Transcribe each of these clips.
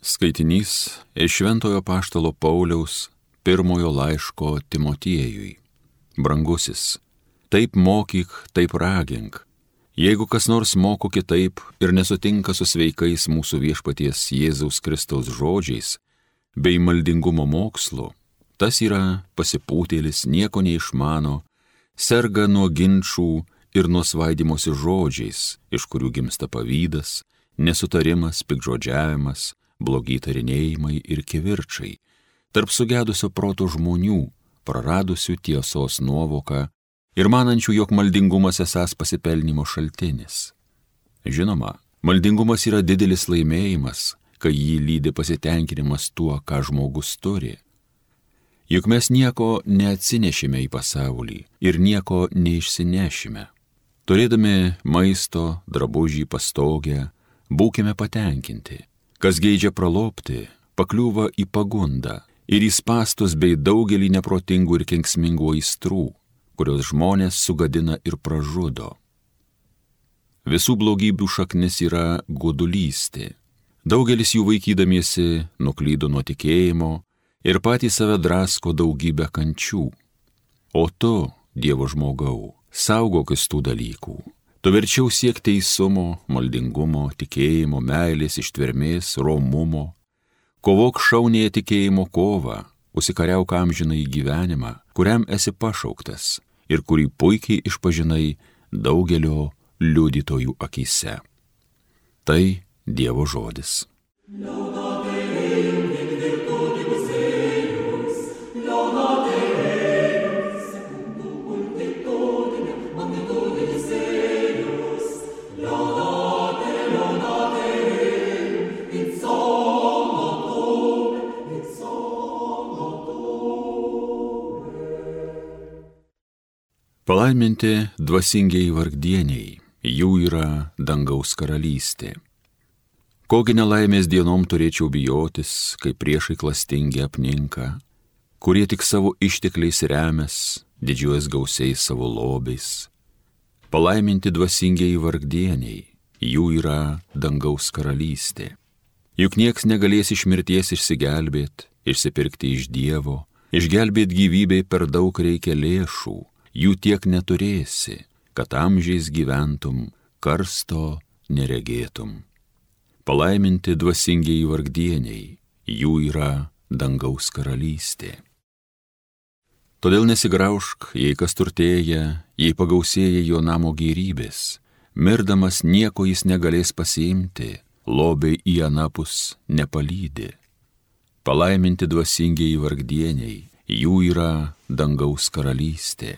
Skaitinys iš Šventojo apaštalo Pauliaus pirmojo laiško Timotiejui. Brangusis, taip mokyk, taip ragink. Jeigu kas nors moko kitaip ir nesutinka su sveikais mūsų viešpaties Jėzaus Kristaus žodžiais bei maldingumo mokslu, tas yra pasipūtėlis, nieko neišmano, serga nuo ginčų ir nuo svaidymosi žodžiais, iš kurių gimsta pavydas, nesutarimas, piktžodžiavimas, blogi tarinėjimai ir kivirčai, tarp sugedusio proto žmonių, praradusių tiesos nuovoką ir manančių, jog maldingumas esąs pasipelnimo šaltinis. Žinoma, maldingumas yra didelis laimėjimas, kai jį lydi pasitenkinimas tuo, ką žmogus turi. Juk mes nieko neatsinešime į pasaulį ir nieko neišsinešime. Turėdami maisto, drabužį, pastogę, būkime patenkinti. Kas geidžia pralobti, pakliūva į pagundą ir į spąstus bei daugelį neprotingų ir kenksmingų aistrų, kurios žmonės sugadina ir pražudo. Visų blogybių šaknis yra godulystė. Daugelis jų vaikydamiesi nuklydo nuo tikėjimo ir patys save drasko daugybę kančių. O tu, Dievo žmogau, saugokis tų dalykų. Tu verčiau siek teisumo, maldingumo, tikėjimo, meilės, ištvermės, romumo. Kovok šaunėje tikėjimo kovą, užsikariauk amžinąjį gyvenimą, kuriam esi pašauktas ir kurį puikiai išpažinai daugelio liudytojų akyse. Tai Dievo žodis. Palaiminti dvasingieji vargdieniai, jų yra dangaus karalystė. Kogi nelaimės dienom turėčiau bijotis, kai priešai klastingi apninka, kurie tik savo ištekliais remias, didžiuojas gausiais savo lobiais. Palaiminti dvasingieji vargdieniai, jų yra dangaus karalystė. Juk nieks negalės iš mirties išsigelbėti, išsipirkti iš Dievo, išgelbėti gyvybei per daug reikia lėšų. Jų tiek neturėsi, kad amžiais gyventum, karsto neregėtum. Palaiminti dvasingieji vargdieniai, jų yra dangaus karalystė. Todėl nesigraužk, jei kas turtėja, jei pagausėja jo namo gėrybės, mirdamas nieko jis negalės pasiimti, lobiai į anapus nepalydi. Palaiminti dvasingieji vargdieniai, jų yra dangaus karalystė.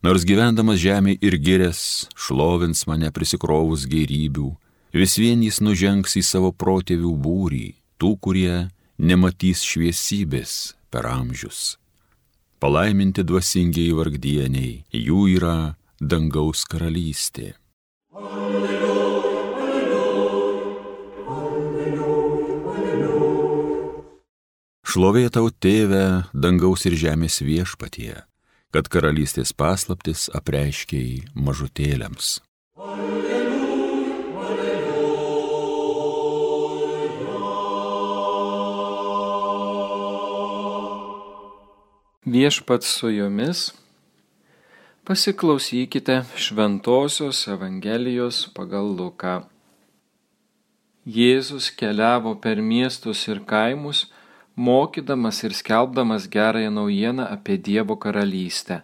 Nors gyvendamas žemė ir girės, šlovins mane prisikrovus gėrybių, vis vien jis nužengs į savo protėvių būrį, tų, kurie nematys šviesybės per amžius. Palaiminti dvasingieji vargdieniai, jų yra dangaus karalystė. Šlovė tau, Tėve, dangaus ir žemės viešpatie, kad karalystės paslaptis apreiškei mažutėliams. Viešpats su jumis, pasiklausykite Šventosios Evangelijos pagal Luką. Jėzus keliavo per miestus ir kaimus, mokydamas ir skelbdamas gerąją naujieną apie Dievo karalystę.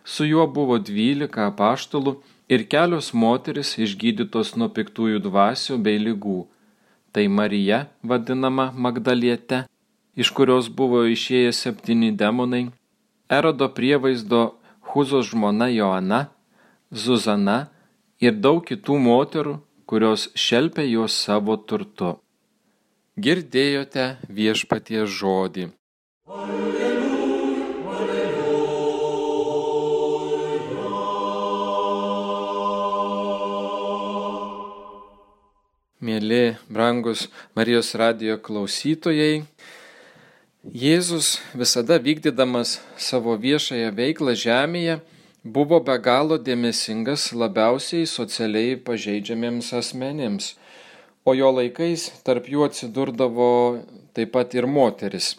Su juo buvo 12 apaštalų ir kelios moterys išgydytos nuo piktųjų dvasių bei ligų. Tai Marija, vadinama Magdaliete, iš kurios buvo išėję 7 demonai, Erodo prievaizdo Huzos žmona Joana, Zuzana ir daug kitų moterų, kurios šelpė juos savo turtu. Girdėjote viešpaties žodį. Alleluja, alleluja. Mėly, brangus Marijos radijo klausytojai, Jėzus visada vykdydamas savo viešąją veiklą žemėje buvo be galo dėmesingas labiausiai socialiai pažeidžiamiems asmenims, o jo laikais tarp jų atsidurdavo taip pat ir moteris.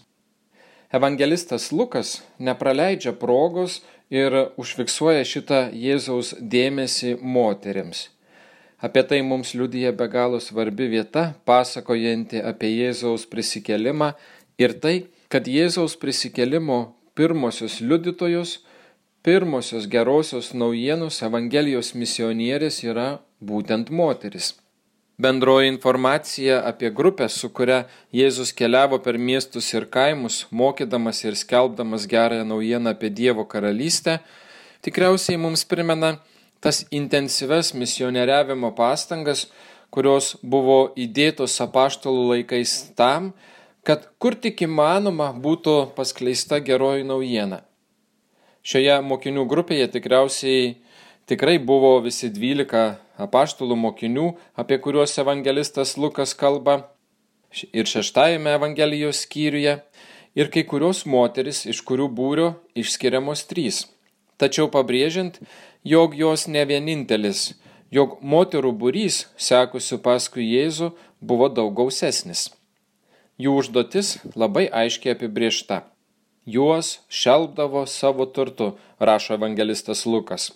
Evangelistas Lukas nepraleidžia progos ir užfiksuoja šitą Jėzaus dėmesį moterims. Apie tai mums liudija be galo svarbi vieta, pasakojanti apie Jėzaus prisikėlimą ir tai, kad Jėzaus prisikėlimo pirmosios liudytojos, pirmosios gerosios naujienos Evangelijos misionierės yra būtent moteris. Bendroji informacija apie grupę, su kuria Jėzus keliavo per miestus ir kaimus, mokydamas ir skelbdamas gerąją naujieną apie Dievo karalystę, tikriausiai mums primena tas intensyves misionieriavimo pastangas, kurios buvo įdėtos apaštalų laikais tam, kad kur tik įmanoma būtų paskleista geroji naujiena. Šioje mokinių grupėje tikrai buvo visi 12 apaštalų mokinių, apie kuriuos evangelistas Lukas kalba, ir 6 Evangelijos skyriuje, ir kai kurios moteris, iš kurių būrio išskiriamos 3. Tačiau pabrėžiant, jog jos ne vienintelis, jog moterų būrys, sekusių paskui Jėzų, buvo daug gausesnis. Jų užduotis labai aiškiai apibrėžta. Juos šelpdavo savo turtu, rašo evangelistas Lukas.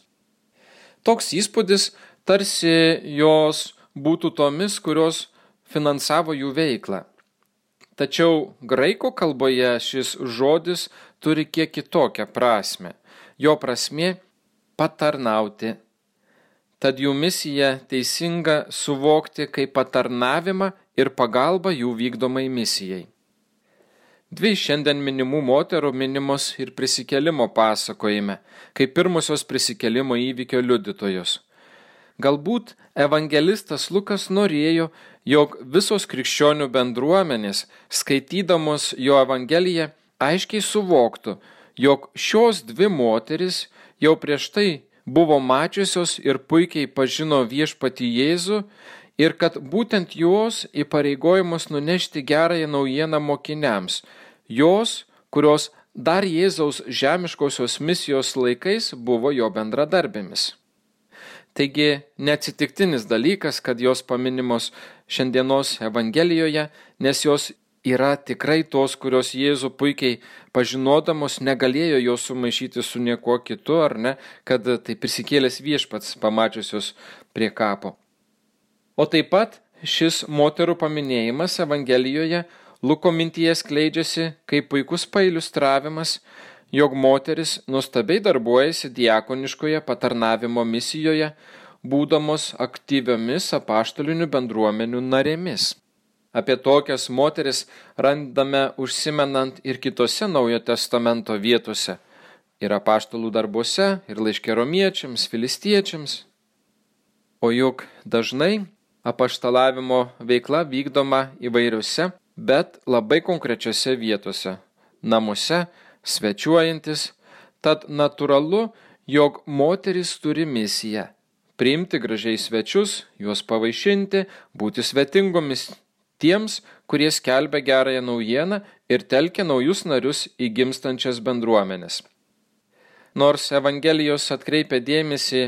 Toks įspūdis, tarsi jos būtų tomis, kurios finansavo jų veiklą. Tačiau graikų kalboje šis žodis turi kiek kitokią prasme. Jo prasmė – patarnauti. Tad jų misija teisinga suvokti kaip patarnavimą ir pagalbą jų vykdomai misijai. 2 šiandien minimų moterų minimos ir prisikėlimo pasakojime, kaip pirmosios prisikėlimo įvykio liudytojos. Galbūt evangelistas Lukas norėjo, jog visos krikščionių bendruomenės, skaitydamos jo evangeliją, aiškiai suvoktų, jog šios 2 moteris jau prieš tai buvo mačiusios ir puikiai pažino viešpatį Jėzų ir kad būtent jos įpareigojimus nunešti gerąją naujieną mokiniams, jos, kurios dar Jėzaus žemiškosios misijos laikais buvo jo bendradarbėmis. Taigi neatsitiktinis dalykas, kad jos paminimos šiandienos Evangelijoje, nes jos yra tikrai tos, kurios Jėzų puikiai pažinodamos negalėjo jos sumaišyti su niekuo kitu, ar ne, kad tai prisikėlęs viešpats pamačiusios prie kapo. O taip pat šis moterų paminėjimas Evangelijoje Luko mintyje skleidžiasi kaip puikus pailiustravimas, jog moteris nuostabiai darbuojasi diakoniškoje patarnavimo misijoje, būdamos aktyviomis apaštalinių bendruomenių narėmis. Apie tokias moteris randame užsimenant ir kitose Naujojo testamento vietose, ir apaštalų darbuose, ir laiške romiečiams, filistiečiams. O juk dažnai apaštalavimo veikla vykdoma įvairiose, bet labai konkrečiose vietose, namuose, svečiuojantis, tad natūralu, jog moteris turi misiją – priimti gražiai svečius, juos pavaišinti, būti svetingomis tiems, kurie skelbia gerąją naujieną ir telkia naujus narius į gimstančias bendruomenes. Nors Evangelijos atkreipia dėmesį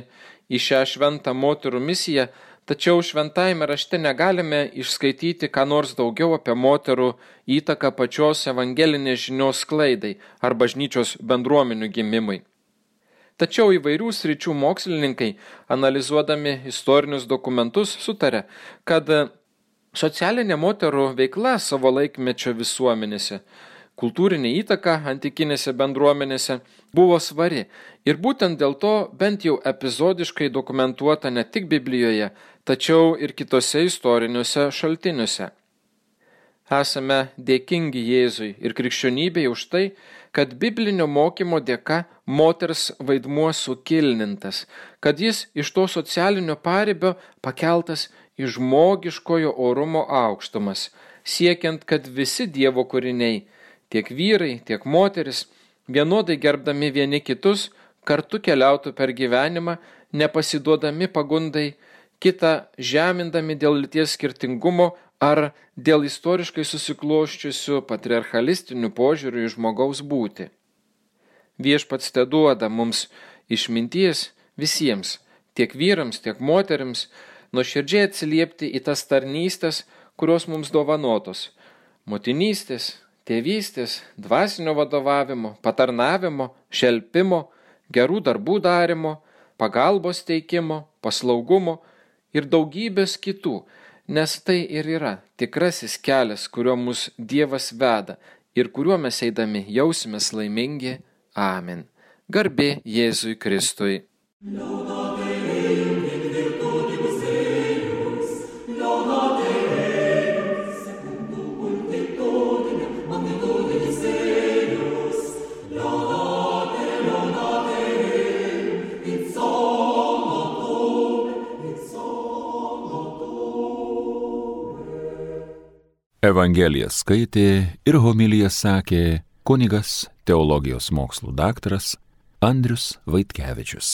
į šią šventą moterų misiją, tačiau šventajame rašte negalime išskaityti ką nors daugiau apie moterų įtaką pačios evangelinės žinios sklaidai ar bažnyčios bendruomenių gimimui. Tačiau įvairių sričių mokslininkai, analizuodami istorinius dokumentus, sutarė, kad socialinė moterų veikla savo laikmečio visuomenėse, kultūrinė įtaka antikinėse bendruomenėse buvo svari ir būtent dėl to bent jau epizodiškai dokumentuota ne tik Biblijoje, tačiau ir kitose istoriniuose šaltiniuose. Esame dėkingi Jėzui ir krikščionybei už tai, kad biblinio mokymo dėka moters vaidmuo sukilnintas, kad jis iš to socialinio paribio pakeltas į žmogiškojo orumo aukštumas, siekiant, kad visi Dievo kūriniai, tiek vyrai, tiek moteris, vienodai gerbdami vieni kitus, kartu keliautų per gyvenimą, nepasiduodami pagundai, kitą žemindami dėl lyties skirtingumo ar dėl istoriškai susikloščiusių patriarchalistinių požiūrių į žmogaus būtį. Viešpats teduoda mums išminties visiems, tiek vyrams, tiek moterims, nuoširdžiai atsiliepti į tas tarnystės, kurios mums dovanotos – motinystės, tėvystės, dvasinio vadovavimo, patarnavimo, šelpimo, gerų darbų darimo, pagalbos teikimo, paslaugumo ir daugybės kitų, nes tai ir yra tikrasis kelias, kuriuo mus Dievas veda ir kuriuo mes eidami jausimės laimingi. Amen. Garbė Jėzui Kristui. Evangeliją skaitė ir homiliją sakė kunigas, teologijos mokslų daktaras Andrius Vaitkevičius.